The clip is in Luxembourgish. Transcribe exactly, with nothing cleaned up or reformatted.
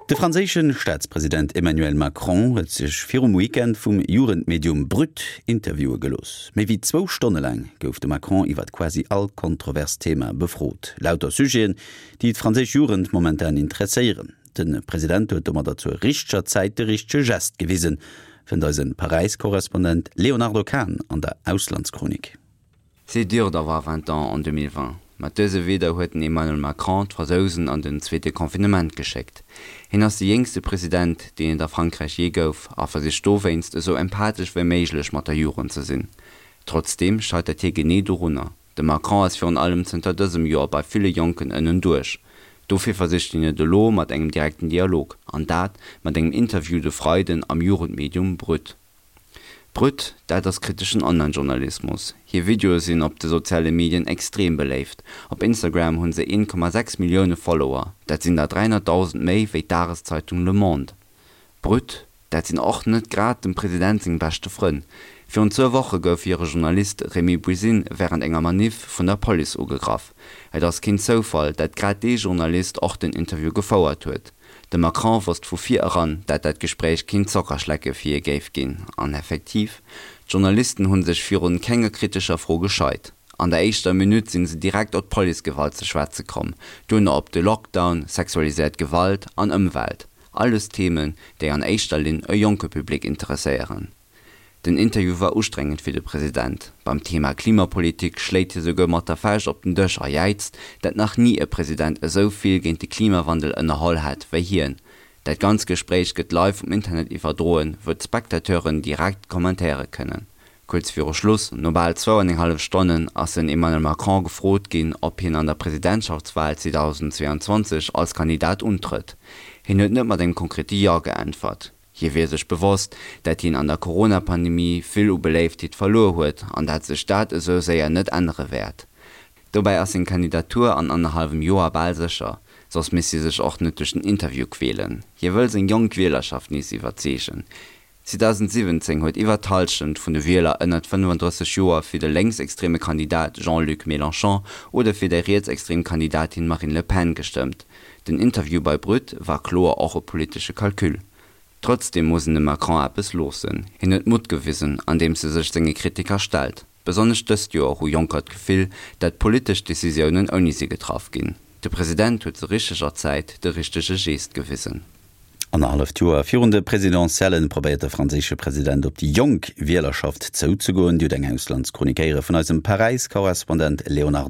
De franséische Staatspresident Emmanuel Macron huet sech virum Weekend vum Jugendmedium Brut interviewe gelooss. Méi wéi zwou Stonne laang gouf de Macron iwwer quasi all kontrovers Thema befrot. Lauter Sujeten, déi d'franséisch Jugend momentan interesséieren. De President huet domadder zur richteger Zäit de richtege Gest gewisen, fënnt eise Paräis-Korrespondent Léonardo Kahn an der Auslandschronik. C'est dur d'avoir vingt ans en deux mille vingt. Mat dëse Wieder huet den Emmanuel Macron d'Fransousen an den zweete Confinement geschéckt. Hien ass de jéngste President, deen et a Frankräich jee gouf, a versicht dowéinst esou empathesch wéi méiglech mat der Jugend ze sinn. Trotzdeem scheitert hie genee dorunner. De Macron ass virun allem zënter dësem Joer bei ville Jonken ënnen duerch. Dofir versicht hien et elo mat engem direkten Dialog, an dat mat engem Interview de Freiden am Jugendmedium Brut. Brut, dat ass kriteschen Online-Journalismus. Hir Videoe sinn op de soziale Medien extrem beléift. Op Instagram hunn se een Komma sechs Millioune Follower, dat sinn der dräihonnertdausend méi wéi d'Dageszeitung Le Monde. Brut, dat sinn och net grad dem President seng beschte Frënn. Virun zwou Woche gouf hire Journalist Rémy Buisine wärend enger Maniff vun der Police ugegraff. Et ass keen Zoufall, dat grad dee Journalist och den Interview gefouert huet. De Macron wosst vu vir eran, dat dat Gespréich keen Zockerschlecke fir hie géif ginn. An effektiv, d'Journalisten hu sech virun kenger kritescher Fro gescheit. An der éischter Minutt sinn se direkt op d'Policegewalt ze schwätze komm, duerno op de Lockdown, sexualiséiert Gewalt an Ëmwelt. Alles Themen, déi an éischter Linn e jonke Public interesséieren. Den Interview war ustrengend fir de President. Beim Thema Klimapolitik schléit hie souguer mat der Fauscht op den Dësch a jäizt, dat nach ni e President esou vill géint de Klimawandel ënnerholl hätt wéi hien. Dat ganzt Gespréich gëtt live um Internet iwwerdroen, wou d'Spectateuren direkt kommentéiere kënnen. Kuerz viru Schluss, no bal zwou an eng hallef Stonnen, ass den Emmanuel Macron gefrot ginn, ob hien an der Presidentschaftswal zweedausendzweeanzwanzeg als Kandidat untrëtt. Hien huet net mat engem konkrete Jo geäntwert. Hie wier sech bewosst, dat hien an der Corona-Pandemie vill u Beléiftheet verluer huet an dat sech dat esou séier net ännere wäert. Dobäi ass seng Kandidatur an annerhallwem Joer bal sécher, soss misst hie sech och net duerch den Interview quälen. Hie wëll seng jonk Wielerschaft nees iwwerzeegen. zweedausendsiwwenzéng huet iwwer d'Hallschent vun de Wieler ënnert fënnefandrësseg Joer fir de lénksextreme Kandidat Jean-Luc Mélenchon oder fir déi rietsextrem Kandidatin Marine Le Pen gestëmmt. Den Interview bei Brut war kloer och e politesche Calcul. Trotzdeem muss een dem Macron eppes loossen, Hien huet Mutt gewisen, andeems e sech senge Kritiker stellt. Besonnesch dëst Joer hu Jonker d'Gefill, dat politesch Decisiounen ouni si getraff ginn. De President huet zur richteger Zäit de richtege Gest gewisen. Annerhalleft Joer virun de Presidentiellen probéiert de franséische President op déi jonk Wielerschaft zouzegoen. Dir hutt eng Auslandschronik héiere vun eisem Paräis-Korrespondent Léonardo.